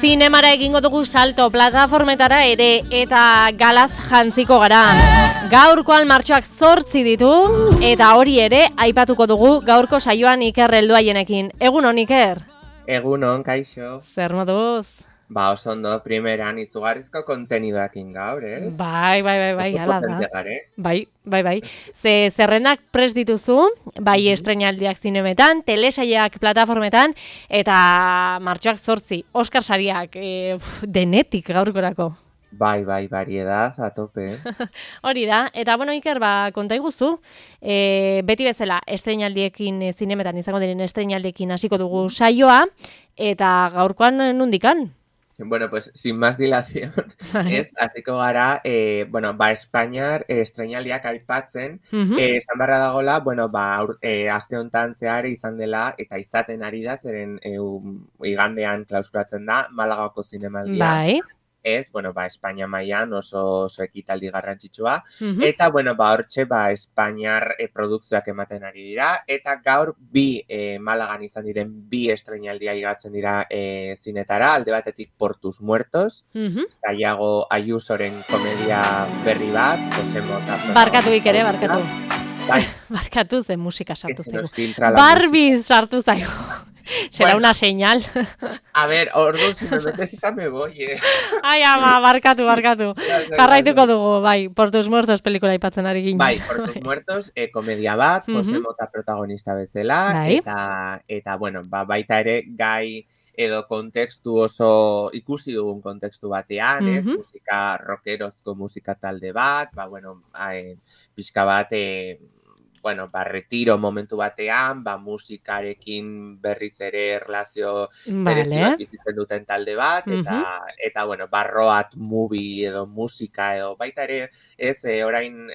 zinemara egingo dugu salto plataformetara ere eta galaz jantziko gara. Gaurkoan martxoak 8 ditu eta hori ere aipatuko dugu gaurko saioan Iker helduaienekin. Egunon Iker? Egunon, kaixo. Zer moduz? Ba, oso ondo, primeran izugarrizko kontenidoakin gaur, ez? Bai, ala da. Gare. Bai. Zerrendak prest dituzu, bai estreinaldiak zinemetan, telesaiak plataformetan, eta martxoak 8, Oscar sariak denetik gaurkorako. Bai, variedad, a tope. Hori da, eta bueno, Iker, konta iguzu, beti bezala estreinaldiekin zinemetan izango diren estreinaldiekin hasiko dugu saioa, eta gaurkoan nondikan? Bueno, pues sin más dilación, ez, hasiko gara, Espainiar estreinaldiak aipatzen, esan barra dagola, aste hontan zehar izan dela, eta izaten ari da, zeren igandean klausuratzen da, Malagako zinemaldia. Bai. Ez, Espainia mailan oso ekitaldi garrantzitsua, eta, hortxe, Espainiar produkzioak ematen ari dira, eta gaur Malagan izan diren bi estreinaldia igatzen dira zinetara, alde batetik Portus Muertos, Sayago Ayusoren komedia berri bat, Jose Mota. Barkatu Iker, barkatu. Bai. Barkatu zen musika sartu zaigu. Barbie sartu zaigu. Será una señal. A ver, orduan, si me metes esa me voy, Ai, ama, barkatu. Jarraituko dugu, bai, Portus Muertos pelikula aipatzen ari ginen. Bai, Portus Muertos, komedia bat, Jose Mota protagonista bezala, eta baita ere gai edo kontekstu oso ikusi dugun kontekstu batean, ez, musika rockerozko musika talde bat, pixka bat, retiro momentu batean, musikarekin berriz ere erlazio berezioak bizitzen duten talde bat, eta barroat movie edo musika edo baita ere, ez, orain,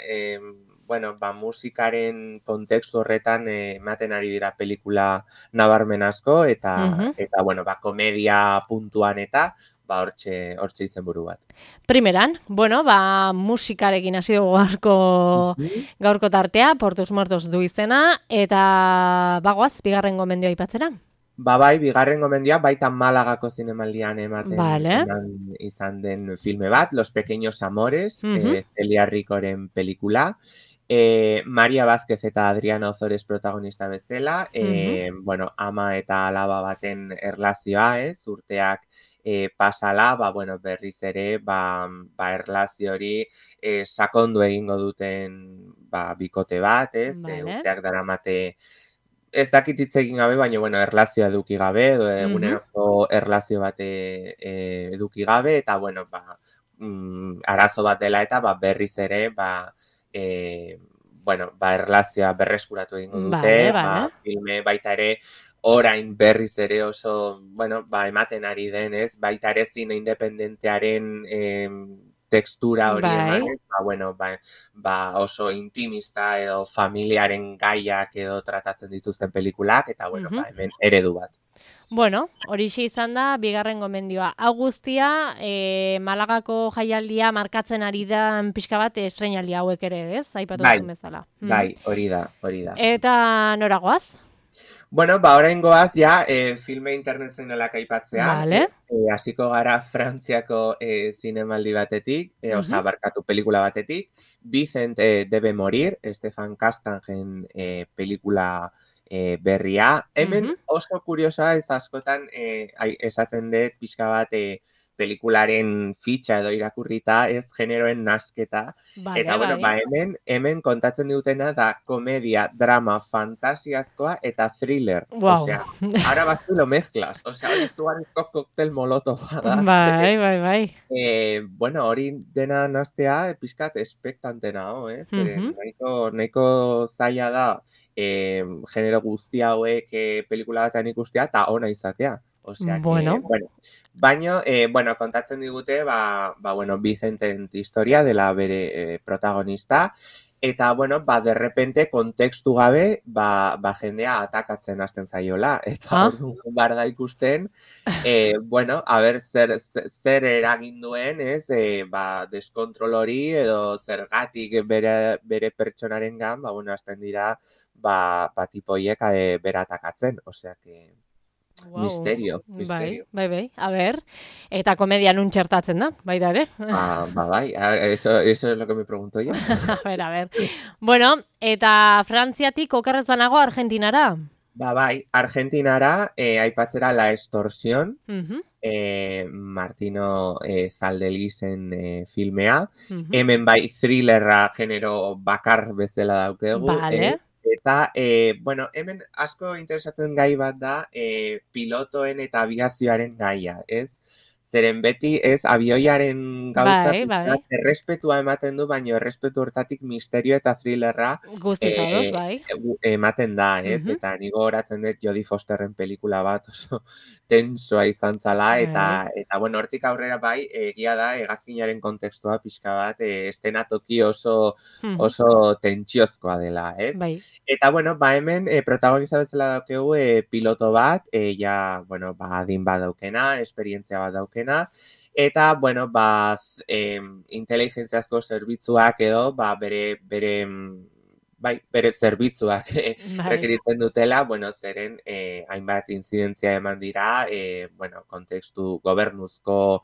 musikaren kontekstu horretan ematen ari dira pelikula nabarmen asko, eta komedia puntuan eta, hortxe izenburu bat. Primeran, musikarekin hasi dugu gaurko tartea, Portus Muertos du izena, eta bagoaz, bigarren gomendioa aipatzera? Bai, bigarren gomendioa baita Malagako zinemaldian ematen izan den filme bat, Los Pequeños Amores, Celia Ricoren pelikula, Maria Vázquez eta Adriana Ozores protagonista bezala, ama eta alaba baten erlazioa, urteak pasala, berriz ere, erlazio hori sakondu egingo duten bikote bat, urteak daramate, ez dakit hitz egin gabe, baina erlazioa eduki gabe, eguneroko erlazio bat eduki gabe, eta arazo bat dela eta berriz ere, erlazioa berreskuratu egingo dute, filme baita ere, orain berriz ere oso, ematen ari denez, baita ere zine independentearen tekstura hori emanez, oso intimista edo familiaren gaiak edo tratatzen dituzten pelikulak, eta hemen eredu bat. Horixe izan da, bigarren gomendioa. Hau guztia, Malagako jaialdia markatzen ari da pixka bat estreinaldia hauek ere, ez? Aipatu duzun bezala. Bai, hori da. Eta noragoaz? Orain goaz, filme internazionalak aipatzea. Hasiko gara Frantziako zinemaldi batetik, pelikula batetik. Vicent debe morir, Stefan Castangen pelikula berria. Hemen oso kuriosoa ez askotan esaten dut pixka bat pelikularen fitxa edo irakurrita ez generoen nasketa. Eta hemen kontatzen dutena da komedia, drama, fantasiazkoa eta thriller. Osea, ara batzu lo mezclas. Osea, hori zugarrizko koktel molotov da. Bai. Hori dena nastea pixkat espektantena, ez? Nahiko zaila da genero guzti hauek pelikula batean ikustea eta ona izatea. Osea, baina, kontatzen digute, Vicenten historia dela bere protagonista, eta, de repente, kontekstu gabe, jendea atakatzen hasten zaiola, eta orduan behar da ikusten, zer eragin duen, ez, deskontrol hori, edo zergatik bere pertsonaren gan, hasten dira, tipoiek bera atakatzen, osea, Wow. Misterio. Bai, a ber, eta komedian txertatzen da, baita ere. Bai, eso es lo que me pregunto yo. A ver. Bueno, eta Frantziatik okerrez banago Argentinara? Bai, Argentinara, aipatzera La Extorsión, Mhm. Martino Zaldelizen filmea, Mhm. hemen bai thrillerra genero bakar bezala daukegu, Vale. eta, bueno, hemen asko interesatzen gai bat da pilotoen eta aviazioaren gaia, ez? Zeren beti ez avioiaren gauza Bai. errespetua ematen du, baina errespetu hortatik misterio eta thrillerra Guztiz ados, bai. ematen da, ez? Eta ni gogoratzen dut Jodie Fosterren pelikula bat oso tensoa izan zala, eta bueno, hortik aurrera bai, egia da, hegazkinaren kontekstua pixka bat, estenatoki oso tentsiozkoa dela, ez? Bai. Eta bueno, hemen protagonista bezala daukegu piloto bat, ja, bueno, adin bat daukena, esperientzia bat daukena, eta, bueno, inteligentziazko zerbitzuak edo, bere zerbitzuak rekeritzen dutela, bueno, zeren hainbat inzidentzia eman dira, bueno, kontekstu gobernuzko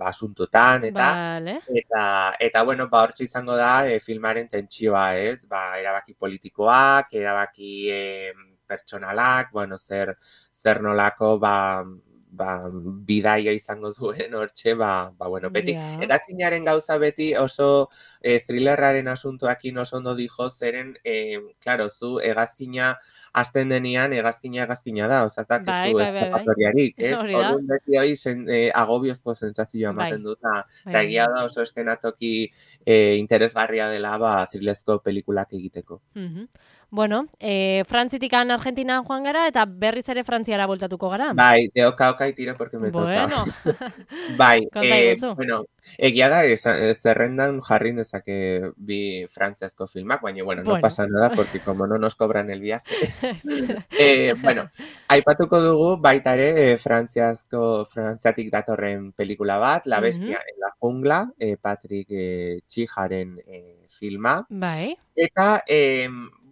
asuntutan, eta bueno, hortxe izango da filmaren tentsioa, ez? Erabaki politikoak, erabaki pertsonalak, bueno, zer nolako, bidaia izango duen hortxe, bueno, beti, hegazkinaren gauza beti oso thrillerraren asuntuakin oso ondo dijo, zeren, klaro, zu hegazkina hasten denean, hegazkina da, ozazak ez zu eskapatoriarik, ez? Orduan beti hori agobiozko zentzazioa ematen dut, eta egia da oso eskenatoki interesgarria dela thrillerezko pelikulak egiteko. Bueno, Frantzitikan Argentina joan gara, eta berriz ere Frantziara voltatuko gara. Bai, de oka y tiro porque me toca. Bueno. Bai, bueno, egia da, zerrendan jarri nezake bi frantziazko filmak, baina, bueno, no pasa nada, porque como no nos cobran el viaje. Bueno, aipatuko dugu baita ere frantziatik datorren pelikula bat, La bestia en la jungla, Patrick Txijaren filma. Bai. Eta,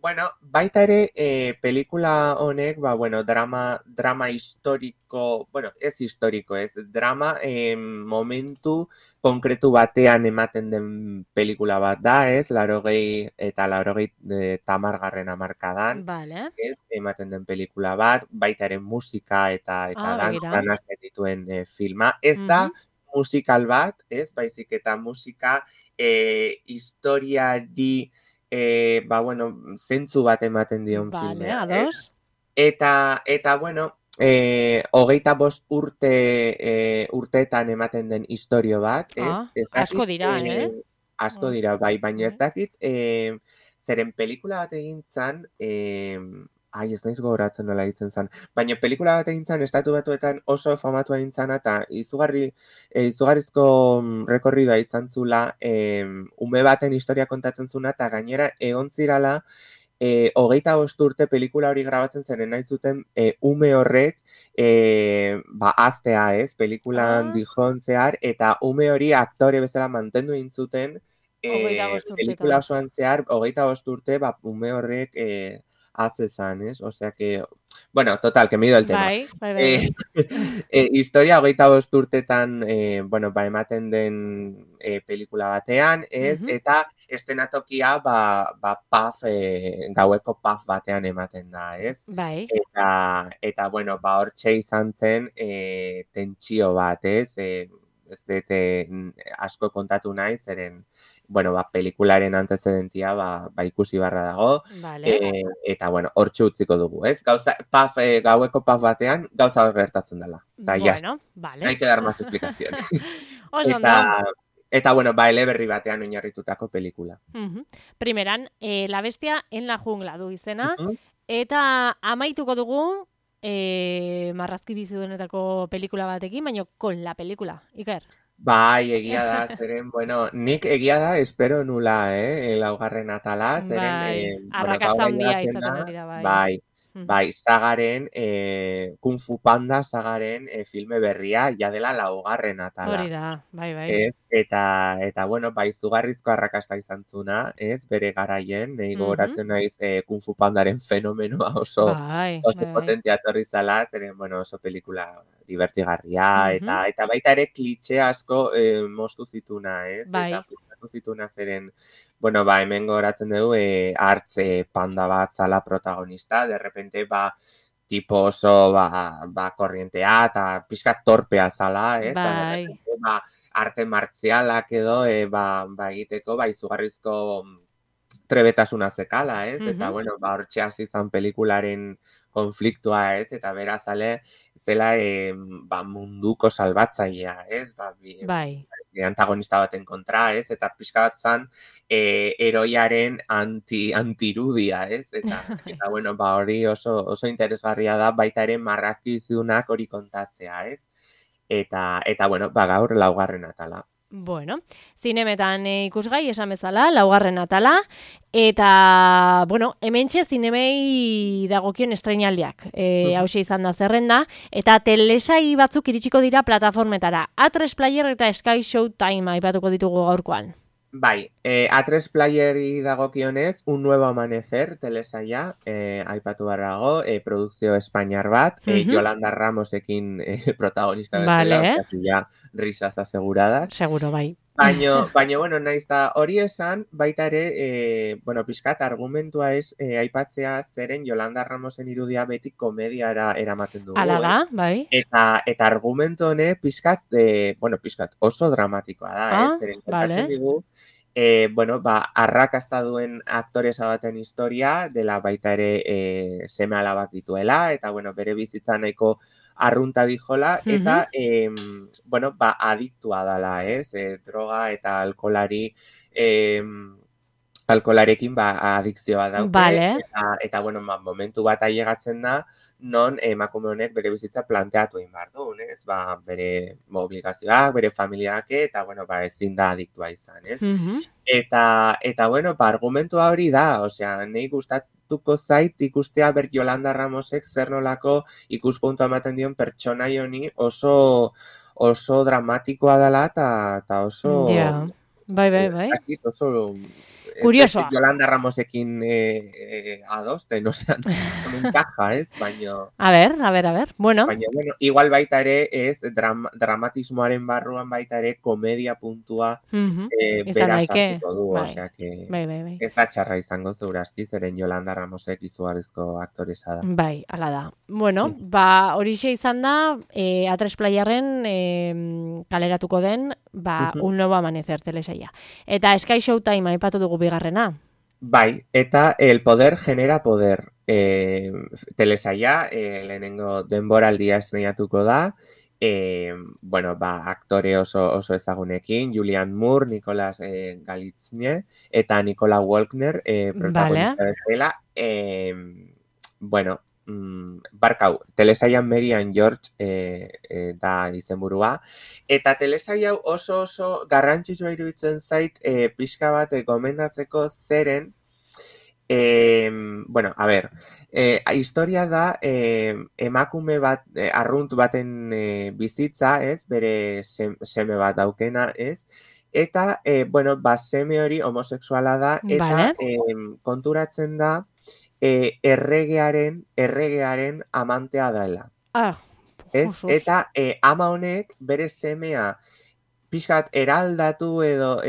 bueno, baita ere pelikula honek, bueno, drama historiko, bueno, ez historiko, ez, drama momentu konkretu batean ematen den pelikula bat da, ez, 80 eta 80 hamarkadan, ez, ematen den pelikula bat, baita ere musika eta danazten dituen filma. Ez da musikal bat, ez, baizik eta musika historiari bueno, zentzu bat ematen dion filmea. Ados. Eta, bueno, 25 urteetan ematen den historio bat, ez? Asko dira, Asko dira, bai, baina ez dakit, zeren pelikula bat egin zan, ez naiz gogoratzen nola ditzen zan, baina pelikula bat egin zan, estatu batuetan oso famatu egin zan, eta izugarrizko rekorridua izan zula, ume baten historia kontatzen zuna, eta gainera egon zirala, 25 urte pelikula hori grabatzen zeren nahi zuten ume horrek aztea, ez, pelikulan dijon zehar, eta ume hori aktore bezala mantendu egin zuten pelikula osoan zehar, 25 urte, ume horrek hatzezan, ez? Osea que, bueno, total, que me he ido el tema. Bai. Historia 25 urtetan, bueno, ematen den pelikula batean, ez? Eta estenatokia, gaueko paf batean ematen da, ez? Bai. Eta bueno, hortxe izan zen tentsio bat, ez? Ez dute asko kontatu nahi, zeren, bueno, pelikularen antecedentia ikusi barra dago, eta, bueno, hortxe utziko dugu, ez? Gaueko paf batean, gauza gertatzen dela. Bueno, vale. Hay que dar más explicación. Eta, bueno, eleberri batean oinarritutako pelikula. Primeran, La bestia en la jungla du izena, eta amaituko dugu marrazki bizidunetako pelikula batekin, baina kon la pelikula, Iker. Bai, egia da, zeren, bueno, nik egia da, espero nula, laugarren atala, zeren, arrakasta handia izaten ari da, bai. bai, sagaren, Kung Fu Panda sagaren filme berria, ja dela 4. atala. Hori da, bai. Eta bueno, bai, izugarrizko arrakasta izan zuna, bere garaien, nahi gogoratzen naiz Kung Fu Pandaren fenomenoa oso potentea etorri zala, zeren, bueno, oso pelikula divertigarria, eta baita ere klitxe asko moztu zituna, eta puztatu zituna zeren, bueno, hemen gogoratzen dugu, hartze panda bat zala protagonista, de repente, tipo oso, korrientea, eta pixkat torpea zala, eta de repente, arte martzialak edo, egiteko, izugarrizko trebetasuna zekala, eta, bueno, hortxe hasi zan pelikularen konfliktua, eta beraz zela munduko salbatzailea, antagonista baten kontra, eta pixka bat zan eroiaren antirudia, eta bueno, hori oso interesgarria da, baita ere marrazki izunak hori kontatzea, eta bueno, gaur 4. atala. Bueno, zinemetan ikusgai esan bezala, 4. atala, eta, bueno, hementxe zinemei dagokion estreinaldiak, hause izan da zerrenda, eta telesai batzuk iritsiko dira plataformetara. A3 Player eta Sky Showtime aipatuko ditugu gaurkoan. Bai, A3 Playeri dagokionez, Un Nuevo Amanecer telesaia, aipatu barrago, produkzio espainiar bat, Yolanda Ramosekin protagonista bezala, ja risas aseguradas. Seguro, bai. Baina, bueno, naiz da hori esan, baita ere, bueno, pixkat argumentua aipatzea zeren Yolanda Ramosen irudia beti komediara eramaten dugu. Hala da, bai. Eta argumentu hone pixkat oso dramatikoa da, zeren kontatzen digu, bueno, arrakasta duen aktoresa baten historia, dela baita ere seme alabak dituela, eta, bueno, bere bizitza nahiko arrunta dijola, eta, bueno, adiktua dala, droga eta alkolarekin adikzioa dauke, eta, bueno, momentu bat ailegatzen da, non emakume honek bere bizitza planteatu egin behar du, bere obligazioak, bere familiak, eta, bueno, ezin da adiktua izan, Eta, bueno, argumentua hori da, osea, nahi gustatuko zait ikustea Yolanda Ramosek zer nolako ikuspuntua ematen dion pertsonai honi oso dramatikoa dela eta oso... Bai. Oso... Kuriosoa. Yolanda Ramosekin adosten, osea, non encaja, baina... A ver, bueno. Baina, bueno, igual baita ere dramatismoaren barruan baita ere komedia puntua beraz hartuko du, osea, bai. Ez da txarra izango zurazki, zeren Yolanda Ramosek izugarrizko aktoresa da. Bai, ala da. Bueno, horixe izan da, A3 Playerren kaleratuko den, Un Nuevo Amanecer telesaia. Eta Sky Showtime aipatu dugu bigarrena. Bai, eta El Poder Genera Poder telesaia, lehenengo denboraldia estrenatuko da, bueno, aktore oso ezagunekin, Julianne Moore, Nicolas Galitzine, eta Nicola Walkner protagonista bezala. Bueno, barkau, telesaian Mary and George da izenburua, eta telesaia oso garrantzitsua iruditzen zait pixka bat gomendatzeko zeren, bueno, a ber, historia da emakume bat, arrunt baten bizitza, bere seme bat daukena, eta, bueno, seme hori homosexuala da, eta konturatzen da erregearen amantea dela. Eta ama honek bere semea pixkat eraldatu edo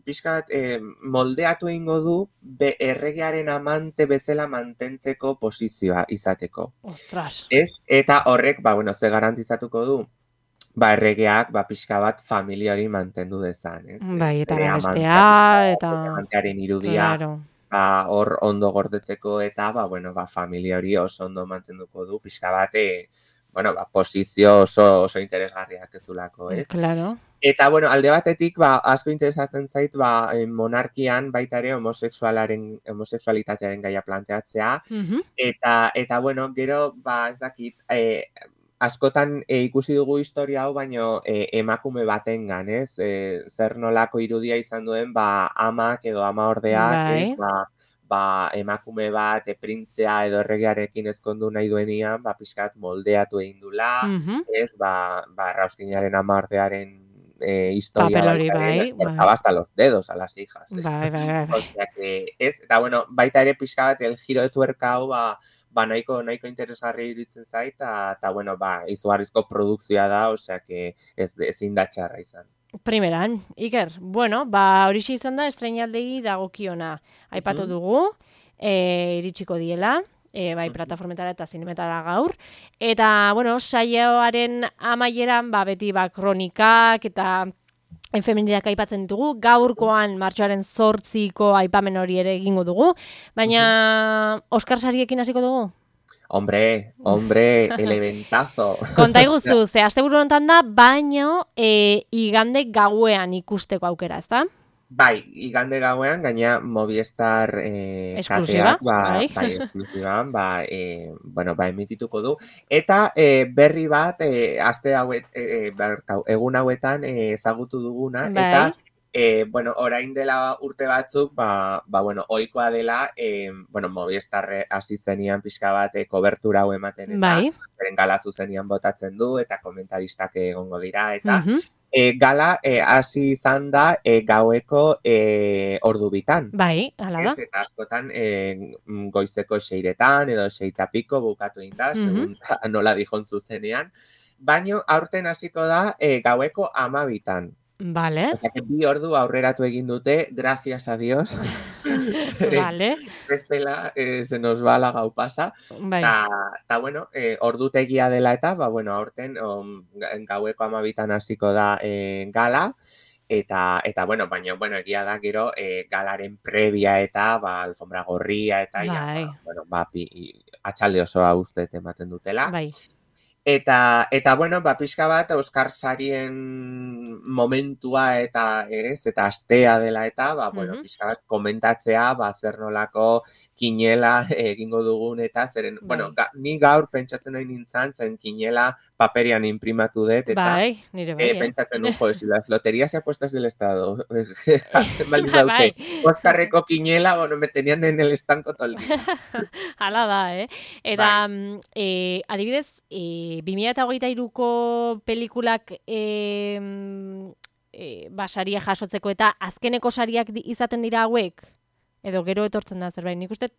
pixkat moldeatu egingo du erregearen amante bezala mantentzeko posizioa izateko. Ostras. Eta horrek, bueno, ze garantizatuko du? Erregeak pixka bat familia hori mantendu dezan, Bai, eta bestea, eta... amantearen irudia, hor ondo gordetzeko, eta, bueno, familia hori oso ondo mantenduko du, pixka bat, bueno, posizio oso interesgarriak ezulako, Claro. Eta, bueno, alde batetik, asko interesatzen zait, monarkian baita ere homosexualitatearen gaia planteatzea, eta, bueno, gero, ez dakit, askotan ikusi dugu historia hau, baino emakume batengan, zer nolako irudia izan duen, amak edo ama ordeak, emakume bat printzea edo erregearekin ezkondu nahi duenian, pixkat moldeatu egin dula, ez, Rauskinaren amardearen historia bai, cortaba hasta los dedos a las hijas. Bai. O sea que ez, eta bueno, baita ere pixka bat el giro de tuerka hau, nahiko interesgarri iruditzen zait, eta bueno, izugarrizko produkzioa da, osea que ezin da txarra izan. Primeran, Iker, bueno, horixe izan da estreinaldei dagokiona. Aipatu dugu, iritsiko diela, bai plataformetara eta zinemetara gaur. Eta, bueno, saioaren amaieran, beti kronikak eta feministak aipatzen ditugu, gaurkoan martxoaren 8ko aipamen hori ere egingo dugu, baina Oskar sariekin hasiko dugu? Hombre, el eventazo. Konta iguzu, ze asteburu honetan da, baino igande gauean ikusteko aukera, ezta? Bai, igande gauean, gaina Movistar esklusiba, esklusiban, emitituko du. Eta berri bat, aste egun hauetan ezagutu duguna, eta orain dela urte batzuk, ohikoa dela, Movistar hasi zenian pixka bat kobertura hau ematen, eta gala zuzenian botatzen du, eta komentaristak egongo dira, eta gala hasi izan da gaueko ordu bitan. Bai, hala da. Eta askotan goizeko 6etan edo 6:00 bukatu egin da, segun nola dijon zuzenean. Baina aurten hasiko da gaueko 12:00. Vale. Osea, que 2 ordu aurreratu egin dute, gracias a Dios. Vale. Bestela, se nos va la gau pasa. Bai. Ta bueno, ordutegia dela eta, aurten gaueko 12:00 hasiko da gala, eta baina egia da gero galaren previa eta alfombra gorria eta atxalde osoa uste ematen dutela. Bai. Eta pixka bat Oskar sarien momentua eta astea dela eta, pixka bat komentatzea, zer nolako kinela egingo dugun eta zeren, ni gaur pentsatzen nahi nintzen, zen kinela paperian imprimatu dut, eta nire bai, pentsatzen nuko, si las loterías y apuestas del Estado hartzen bali daute, Oskarreko kinela, me tenían en el estanco todo el día. Hala da, Eta, adibidez, 2023ko pelikulak saria jasotzeko eta azkeneko sariak izaten dira hauek? Edo gero etortzen da zerbait. Nik uste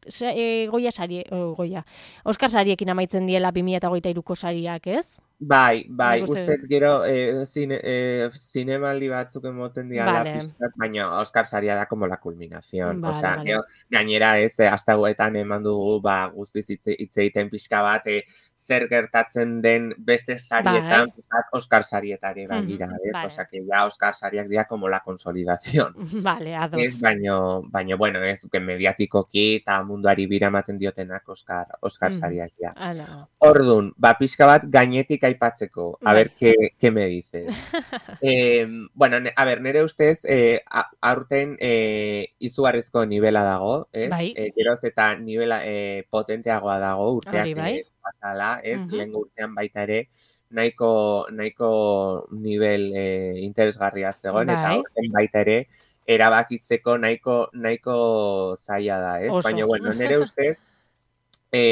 Oskar sariekin amaitzen diela 2023ko sariak, ez? Bai, uste gero zinemaldi batzuk emoten diala pizkat, baina Oskar saria da como la culminación. Gainera hasta guetan eman dugu guztiz hitz egiten pixka bat zer gertatzen den beste sarietan, Oskar sarietare bagira, ez? Osea, que ya Oskar sariak dira como la consolidación. Vale, ados. Ez, baina, ez, mediatikoki eta munduari bira ematen diotenak Oskar sariak dira. Ordun, pixka bat gainetik aipatzeko, a ver, ¿qué me dices? Nere ustez, aurten izugarrizko nivela dago, ez? Geroz eta nivela potenteagoa dago, urteak pasala, ez? Lehen urtean baita ere, nahiko nivel interesgarria zegoen, eta aurten baita ere, erabakitzeko nahiko zaila da, ez? Baina, nere ustez,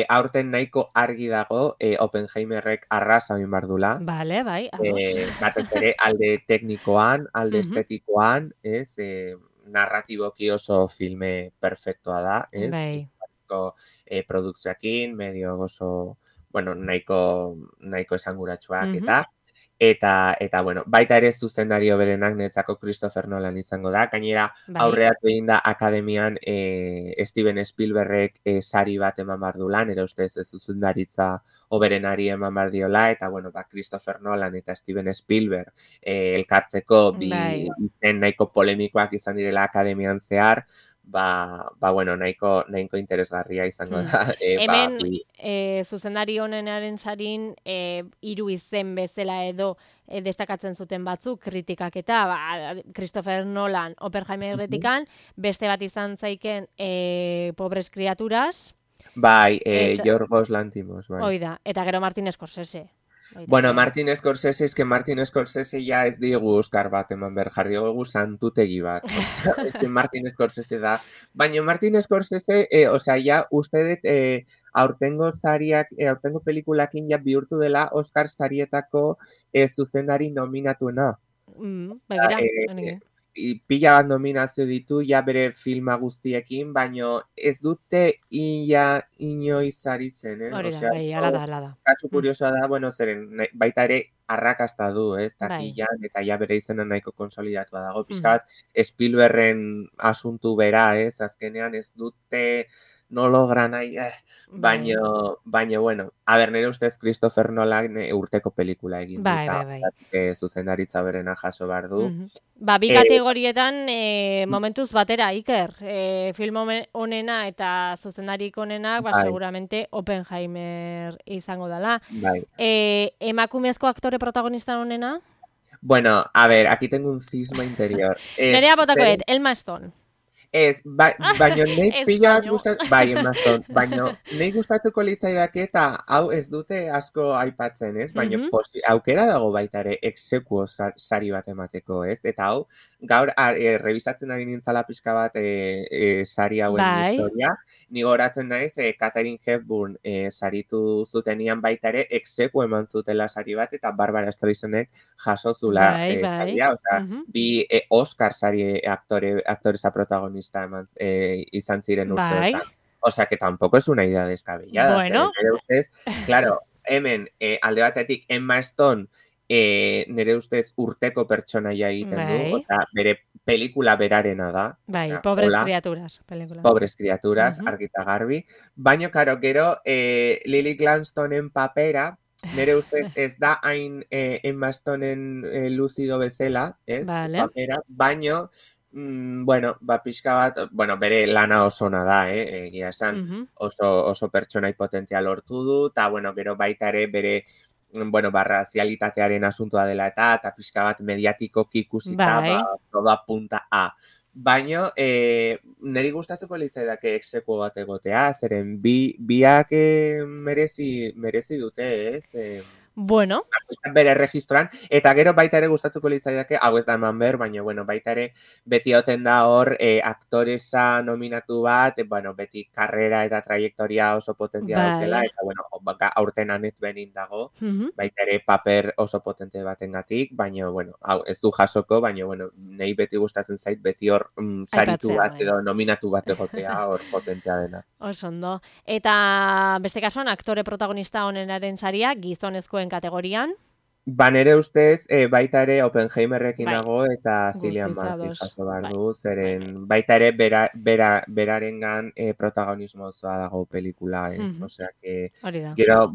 aurten nahiko argi dago Oppenheimerrek arrasa egin behar dula. Bale, bai. Batez ere alde teknikoan, alde estetikoan, ez? Narratiboki oso filme perfektoa da, ez? Bai. Produkzioakin, medio oso, nahiko esanguratsuak eta baita ere zuzendario berenak netzako Christopher Nolan izango da. Gainera, aurreatu egin da akademian Steven Spielbergek sari bat eman behar du lan, ere ustez zuzendaritza oberenari eman behar diola, eta Christopher Nolan eta Steven Spielberg elkartzeko izen nahiko polemikoak izan direla akademian zehar, nahiko interesgarria izango da. Hemen, zuzendari honenaren sarin, 3 izen bezala edo destakatzen zuten batzuk kritikak eta Christopher Nolan Oppenheimerretikan, beste bat izan zaiken Pobres Criaturas. Yorgos Lanthimos. Oida, eta gero Martin Scorsese. Bueno, Martin Scorsese, es que Martin Scorsese ya ez digu Oscar bat eman behar, jarri gogu santutegi bat. Es que Martin Scorsese da. Baina Martin Scorsese, ja, uste dut aurtengo pelikulakin ja bihurtu dela Oscar sarietako zuzendari nominatuena. Begira, pila bat nominazio ditu, ja bere filma guztiekin, baino ez dute inoiz saritzen, Hori da, bai, ala da. Kasu kuriosoa da, bueno, zeren baita ere arrakasta du, takillan, eta ja bere izena nahiko konsolidatua dago. Pixka bat, Spielbergen asuntu bera, azkenean ez dute no logra nahi, baino, bueno, a ber, nire ustez Christopher Nolan urteko pelikula egin du, eta zuzendaritza berena jaso behar du. Bi kategorietan momentuz batera, Iker, film onena eta zuzendarik onena, seguramente Oppenheimer izango dela. Emakumezko aktore protagonista onena? Bueno, a ver, aquí tengo un cisma interior. Nerea botakoet, Emma Stone. Ez, baina nahi pila gustatu, baina nahi gustatuko litzaidake eta hau ez dute asko aipatzen, ez? Baina aukera dago baita ere exekuo sari bat emateko, ez? Eta hau, gaur rebisatzen ari nintzala pixka bat sari hauen historia, nigo horatzen naiz Katharine Hepburn saritu zutenian baita ere exekuo eman zutela sari bat eta Barbara Streisandek jaso zula saria, bi Oscar sari aktoresa protagonista izan ziren urteotan. Osea, que tampoco es una idea descabellada. Bueno. Claro, hemen alde batetik Emma Stone nire ustez urteko pertsonaia egiten du, osea, bere pelikula berarena da. Pobres criaturas. Pobres criaturas, argita garbi. Baina, karo, gero Lily Gladstonen papera, nire ustez ez da hain Emma Stoneen luzido bezala, ez? Papera, baino bueno, pixka bat, bere lana oso ona da, egia esan, oso pertsona potentea lortu du, eta, gero baita ere bere, razialitatearen asuntua dela eta pixka bat mediatikoki ikusita, todo apunta a. Baina, niri gustatuko litzaidake exekuo bat egotea, zeren biak merezi dute, ez? Bueno. Bere registroan, eta gero baita ere gustatuko litzaidake, hau ez da eman behar, baina baita ere beti oten da hor aktoresa nominatu bat, beti karrera eta trajektoria oso potentia daukela, eta aurten Annette Bening dago, baita ere paper oso potente batengatik, baina hau ez du jasoko, baina nahi beti gustatzen zait, beti hor saritu bat edo nominatu bat egotea hor potentea dena. Osondo. Eta beste kasuan, aktore protagonista honenaren saria, gizonezkoen kategorian? Nere ustez, baita ere Oppenheimerrekin nago eta Cillian Murphy jaso behar du, zeren baita ere berarengan protagonismo osoa dago pelikula, ez? Osea, gero,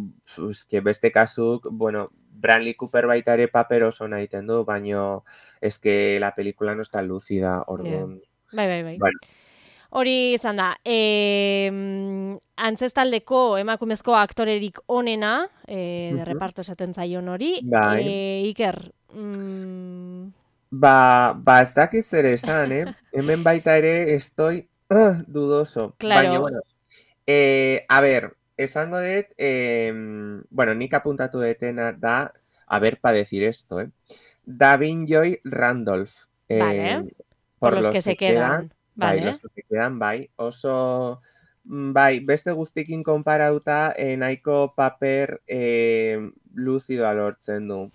beste kasuk, Bradley Cooper baita ere paper oso nahiten du, baina eske la pelikula no está lúcida, orduan. Bai. Hori izan da, antzestaldeko emakumezko aktorerik onena, de reparto esaten zaion hori, Iker? Ez dakiz ere esan, hemen baita ere estoy dudoso. Claro. Baina, a ver, esango dut, nik apuntatu detena da, a ver, pa decir esto, Davin Joy Randolph. Por los que se quedan. Los que se quedan, oso, beste guztikin konparauta, nahiko paper luzidoa lortzen du,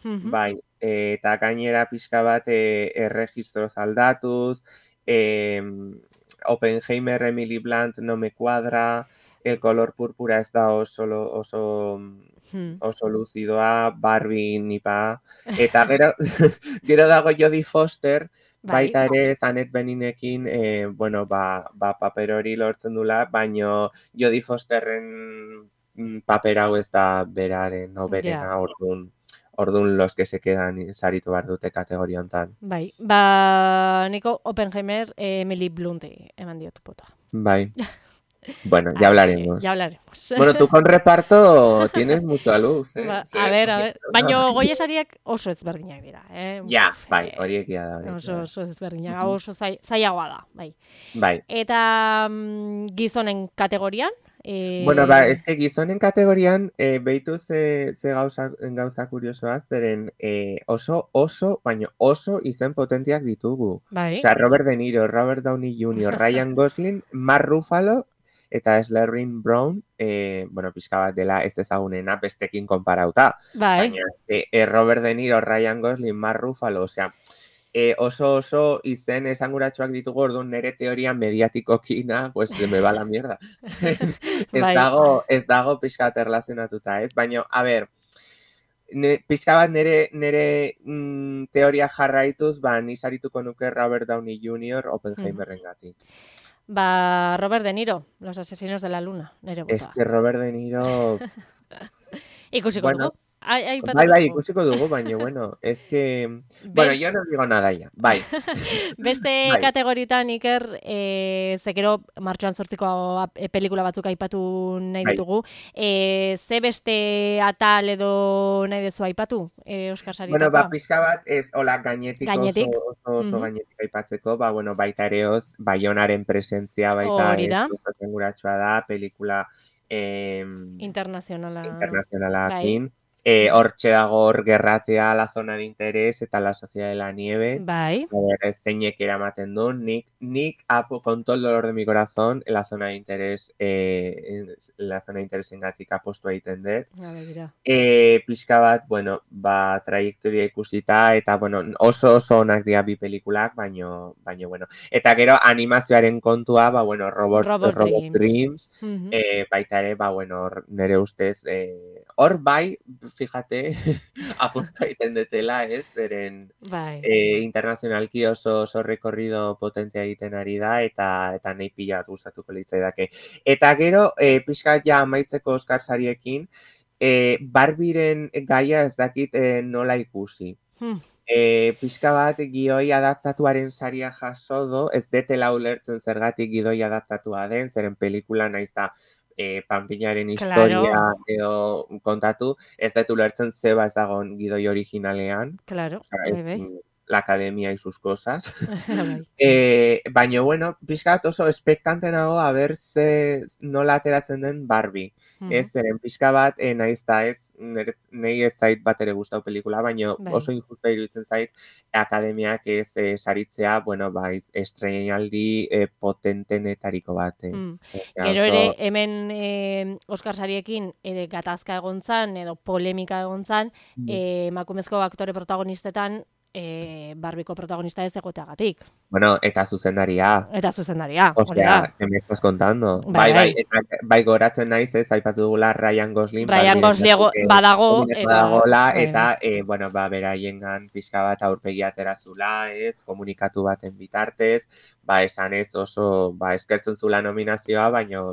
eta gainera pixka bat erregistroz aldatuz, Oppenheimer, Emily Blunt no me cuadra, El color púrpura ez da oso luzidoa, Barbie nipa, eta gero dago Jodie Foster, baita ere Annette Beningekin, paper hori lortzen dula, baino Jodie Fosterren paper hau ez da beraren, berena, orduan los que se quedan saritu behar dute kategoria hontan. Niko Oppenheimer, Emily Blunt eman diotu potoa. Bueno, ya hablaremos. Bueno, tú con reparto tienes mucha luz, A ver. Baina goiesariak oso ezberdinak dira, Ja, horiek da. Oso ezberdinak, oso zailagoa da, Bai. Eta gizonen kategorian, Bueno, eske gizonen kategorian behitu ze gauza kuriosoa, zeren baina oso izen potentiak ditugu. Bai. Osea, Robert De Niro, Robert Downey Jr., Ryan Gosling, Mark Ruffalo, eta Slerrin Brown, bueno, pixka bat dela ez ezagunena bestekin konparauta. Bai. Baina Robert De Niro, Ryan Gosling, Mark Ruffalo, osea, oso izen esanguratsuak ditugu, orduan nere teoria mediatikokina, pues se me va la mierda. ez dago pixka bat erlazionatuta, ez? Baina, a ber, pixka bat nere teoria jarraituz, ni sarituko nuke Robert Downey Jr. Oppenheimerren gatik. Robert De Niro, Los asesinos de la luna, nere bota. Es que Robert De Niro... Ikusiko dugu. Bai, ikusiko dugu, baina, bueno, es que... Bueno, yo no digo nada ya, bai. Beste kategoritan, Iker, zekero martxoan 8ko pelikula batzuk aipatu nahi ditugu. Ze beste atal edo nahi dezu aipatu, Oskar saritakoa? Bueno, pixka bat, ez, hola, gainetik oso gainetik aipatzeko, bueno, baita ereoz, Baionaren presentzia, baita oso tenguratsua da, pelikula internazionalakin. Hortxe dago hor gerratea, La zona de interés eta La sociedad de la nieve. Bai. Zeinek eramaten du, nik con todo el dolor de mi corazón, La zona de interés engatik apostu egiten dut. Pixka bat, bueno, trajektoria ikusita, eta, bueno, oso onak dira bi pelikulak, baino, bueno. Eta gero animazioaren kontua, bueno, Robot Dreams, baita ere, bueno, nire ustez, hor bai, fíjate, apunta egiten detela, ez, zeren internazionalki oso rekorrido potentea egiten ari da, eta nahi pila gustatuko litzaidake. Eta gero, pixka ja amaitzeko Oskar sariekin, Barbiren gaia ez dakit nola ikusi. Pixka bat gioi adaptatuaren saria jaso do, ez detela ulertzen zergatik gioi adaptatua den, zeren pelikula naiz da panpinaren historia edo kontatu, ez dut ulertzen zeba ez dagoen gidoi originalean. Claro, La academia y sus cosas. Baina, bueno, pixka bat oso espektante nago a ber ze nola ateratzen den Barbie. Ez, zeren pixka bat, nahiz da ez, nahi ez zait bat ere gustau pelikula, baina oso injusta iruditzen zait akademiak ez saritzea, bueno, estreinaldi potentenetariko bat. Gero ere, hemen Oskar sariekin gatazka egontzan, edo polemika egontzan, emakumezko aktore protagonistetan, Barbiko protagonista ez egoteagatik. Bueno, eta zuzendaria. Osea, que me estás contando. Bai, goratzen naiz ez, aipatu dugula Ryan Gosling. Ryan Gosling badago. Eta, bueno, beraiengan pixka bat aurpegi aterazula, ez, komunikatu baten bitartez, esan ez oso, eskertzen zula nominazioa, baina,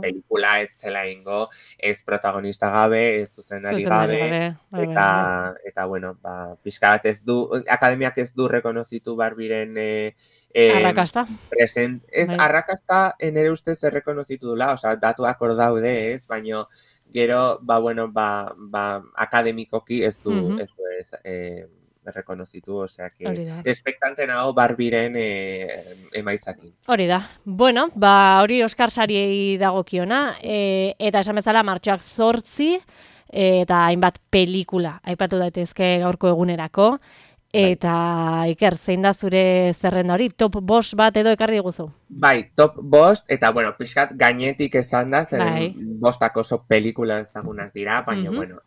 pelikula ez zela ingo, ez protagonista gabe, ez zuzendari gabe, eta, bueno, pixka bat ez du, akademiak ez du rekonozitu Barbiren arrakasta. Arrakasta nere ustez errekonozitu dula, oza, datuak hor daude ez, baina gero, akademikoki ez du rekonozitu, osea, espektante nago Barbiren emaitzakin. Hori da. Bueno, hori Oskar sariei dagokiona, eta esan bezala martxoak 8, eta hainbat pelikula aipatu daitezke gaurko egunerako. Eta, Iker, zein da zure zerrenda hori? Top 5 bat edo ekarri diguzu? Bai, top 5, eta, bueno, pixkat gainetik esan da, zeren 5 oso pelikula ezagunak dira, baina, bueno,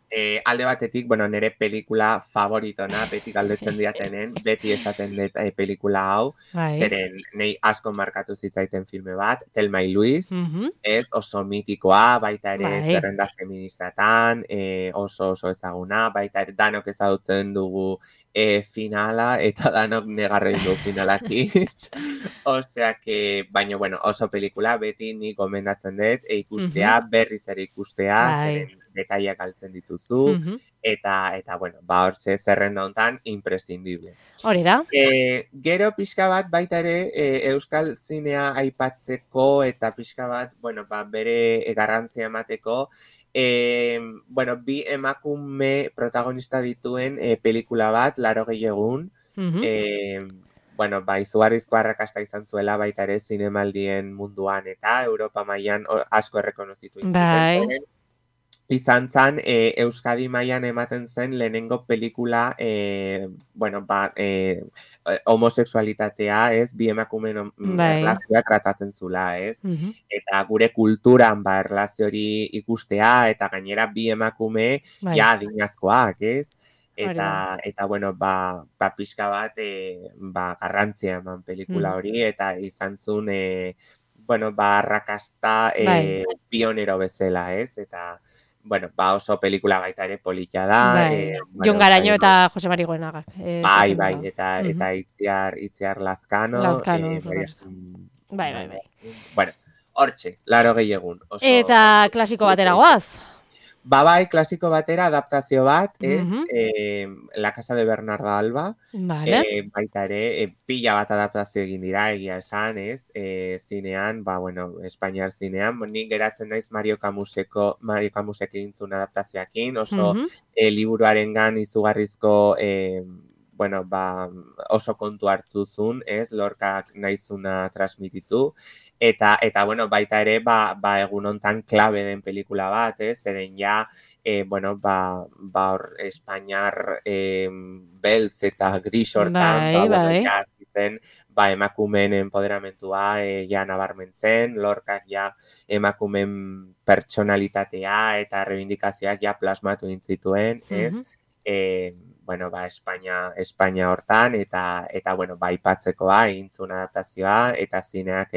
alde batetik, bueno, nire pelikula favoritona, beti galdetzen diatenen, beti esaten dut pelikula hau, zeren nahi asko markatu zitzaiten filme bat, Thelma y Louise, ez oso mitikoa, baita ere zerrenda feministatan, oso ezaguna, baita ere danok ezagutzen dugu finala, eta danok negarrein du finalaki. Osea que, baina, bueno, oso pelikula, beti nik gomendatzen dut, ikustea, berriz ere ikustea, zeren detaiak galtzen dituzu, eta, bueno, hortze zerrenda hontan, imprescindible. Hori da. Gero pixka bat, baita ere, euskal zinea aipatzeko, eta pixka bat, bueno, bere garrantzia emateko, bueno, bi emakume protagonista dituen pelikula bat, 80 egun, bueno, izugarrizko arrakasta izan zuela baita ere zinemaldien munduan eta Europa mailan asko errekonozitu zuten. Izan zan, Euskadi mailan ematen zen lehenengo pelikula, homosexualitatea, ez, bi emakumeen erlazioa tratatzen zula, ez? Eta gure kulturan, erlazio hori ikustea, eta gainera bi emakume ja adinazkoak, ez? Eta bueno, pixka bat, garrantzia eman pelikula hori, eta izan zuen, arrakasta pionero bezala, ez? Eta bueno, oso pelikula baita ere polita da. Jon Garaño eta Jose Mari Goenagak. Bai, eta Itziar Lazkano. Bai. Bueno, hortxe, 80 egun. Eta klasiko batera goaz? Bai, klasiko batera adaptazio bat, ez, La Casa de Bernarda Alba, baita ere, pila bat adaptazio egin dira, egia esan, ez, zinean, Espainiar zinean, nik geratzen naiz Mario Camusek egin zuen adaptazioakin, oso liburuarengan izugarrizko, oso kontu hartu zuen, ez, Lorcak nahizuna transmititu, eta baita ere, egun hontan klabe den pelikula bat, ez, zeren ja, Espainiar beltz eta gris hortan, ja, zen, emakumeen empoderamentua ja nabarmentzen, Lorcak ja emakumeen pertsonalitatea eta reivindikazioak ja plasmatu intzituen, ez, Espainia hortan, eta ipatzekoa, egin zuen adaptazioa, eta zineak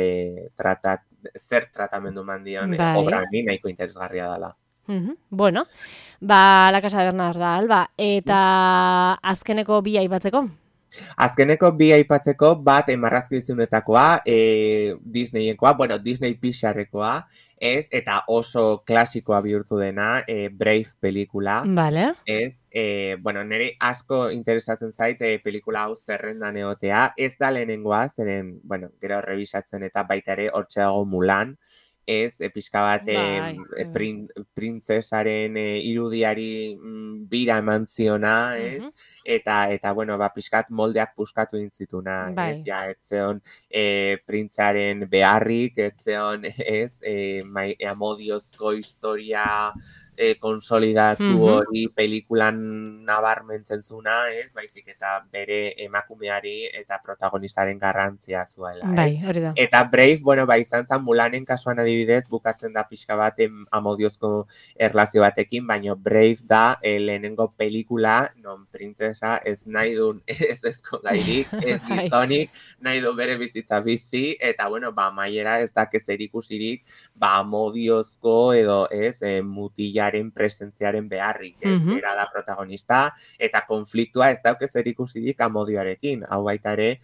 zer tratamendu mandion obra honi nahiko interesgarria dela. Bueno, La Casa de Bernarda Alba, eta azkeneko bi aipatzeko? Azkeneko bi aipatzeko bat marrazkizunetakoa, Disneyekoa, Disney Pixarrekoa, ez, eta oso klasikoa bihurtu dena, Brave pelikula. Ez, nire asko interesatzen zait pelikula hau zerrendan egotea, ez da lehenengoa, zeren, gero rebisatzen eta baita ere hortxe dago Mulan, ez, pixka bat printzesaren irudiari bira eman ziona, ez, eta pixkat moldeak puskatu intzituna, ez, ja, etzeon printzaren beharrik, etzeon, ez, amodiozko historia konsolidatu hori pelikulan nabarmentzen zuna, ez, baizik eta bere emakumeari eta protagonistaren garrantzia zuela, ez. Eta Brave, izan zen Mulanen kasuan adibidez, bukatzen da pixka bat amodiozko erlazio batekin, baina Brave da lehenengo pelikula, non printzesa ez nahi duen ez ezkogairik, ez gizonik, nahi du bere bizitza bizi, eta maiera ez dakez erikusirik, amodiozko edo ez, mutilaren presentziaren beharrik, ez, bera da protagonista, eta konfliktua ez daukez erikusirik amodioarekin, hau baita ere,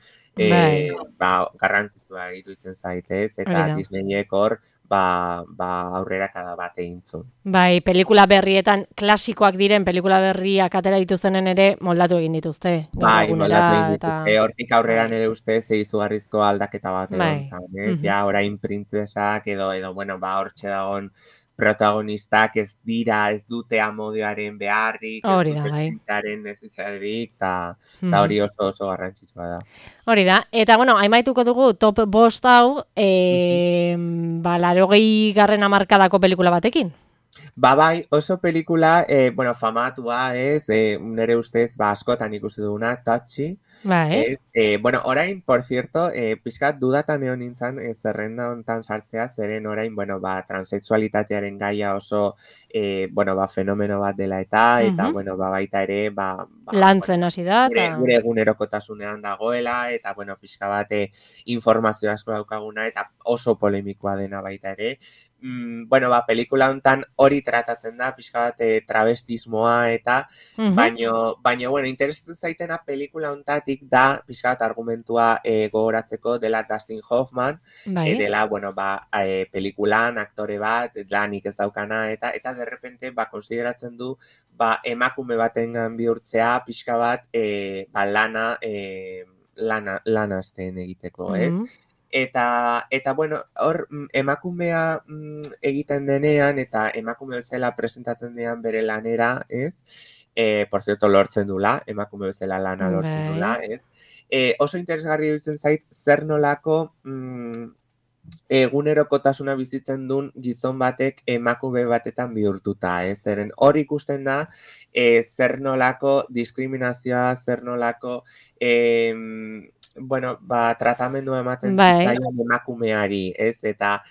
garrantzitsua iruditzen zaitez, eta Disneyek hor, aurrera kada bat egin zuen. Bai, pelikula berrietan, klasikoak diren pelikula berriak atera dituztenen ere moldatu egin dituzte. Bai, moldatu egin dituzte. Hortik aurrera nire ustez izugarrizko aldaketa bat egon zan, ez? Ja, orain printzesak edo, hortxe dagoen protagonistak ez dute amodioaren beharrik, ez dute printaren necesitarik, eta hori oso garrantzitsua da. Hori da, eta haimaituko dugu top 5 hau, 80. hamarkadako pelikula batekin. Bai, oso pelikula, famatua ez, nire ustez, askotan ikusi duguna, Touchy. Orain, por cierto, pixkat dudatan egon nintzen zerrenda hontan sartzea, zeren orain, transexualitatearen gaia oso, fenomeno bat dela eta, baita ere, lantzen hasi da. Gure egunerokotasunean dagoela, eta, pixka bat informazio asko daukaguna, eta oso polemikoa dena baita ere. Pelikula hontan hori tratatzen da, pixka bat travestismoa eta, baina, interesatzen zaitena pelikula hontatik da, pixka bat argumentua gogoratzeko dela Dustin Hoffman, dela, pelikulan, aktore bat, lanik ez daukana, eta derrepente, konsideratzen du, emakume batengan bihurtzea, pixka bat, lanazten egiteko, ez? Eta hor emakumea egiten denean eta emakume bezala presentatzen denean bere lanera, ez? Por cierto, lortzen dula, emakume bezala lana lortzen dula, ez? Oso interesgarri iruditzen zait, zer nolako egunerokotasuna bizitzen duen gizon batek emakume batetan bihurtuta, zeren hor ikusten da, zer nolako diskriminazioa, zer nolako tratamendua ematen zitzaion emakumeari, eta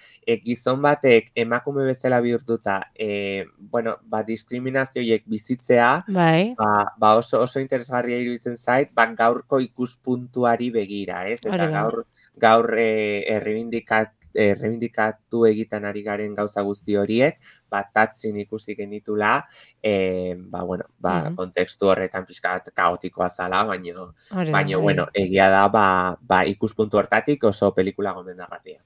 gizon batek emakume bezala bihurtuta, diskriminazioiek bizitzea, oso interesgarria iruditzen zait, gaurko ikuspuntuari begira, eta gaur errebindikatu egiten ari garen gauza guzti horiek, tatzin ikusi genitula, kontekstu horretan pixkat kaotikoa zala, baina, egia da, ikuspuntu hortatik oso pelikula gomendagarria.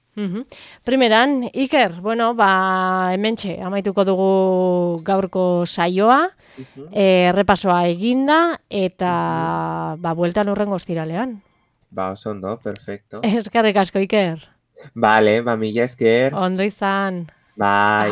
Primeran, Iker, hementxe, amaituko dugu gaurko saioa, errepasoa eginda, eta bueltan horrengo ostiralean. Oso ondo, perfecto. Eskerrik asko, Iker. Vale, mila esker. Ondo izan. Bai.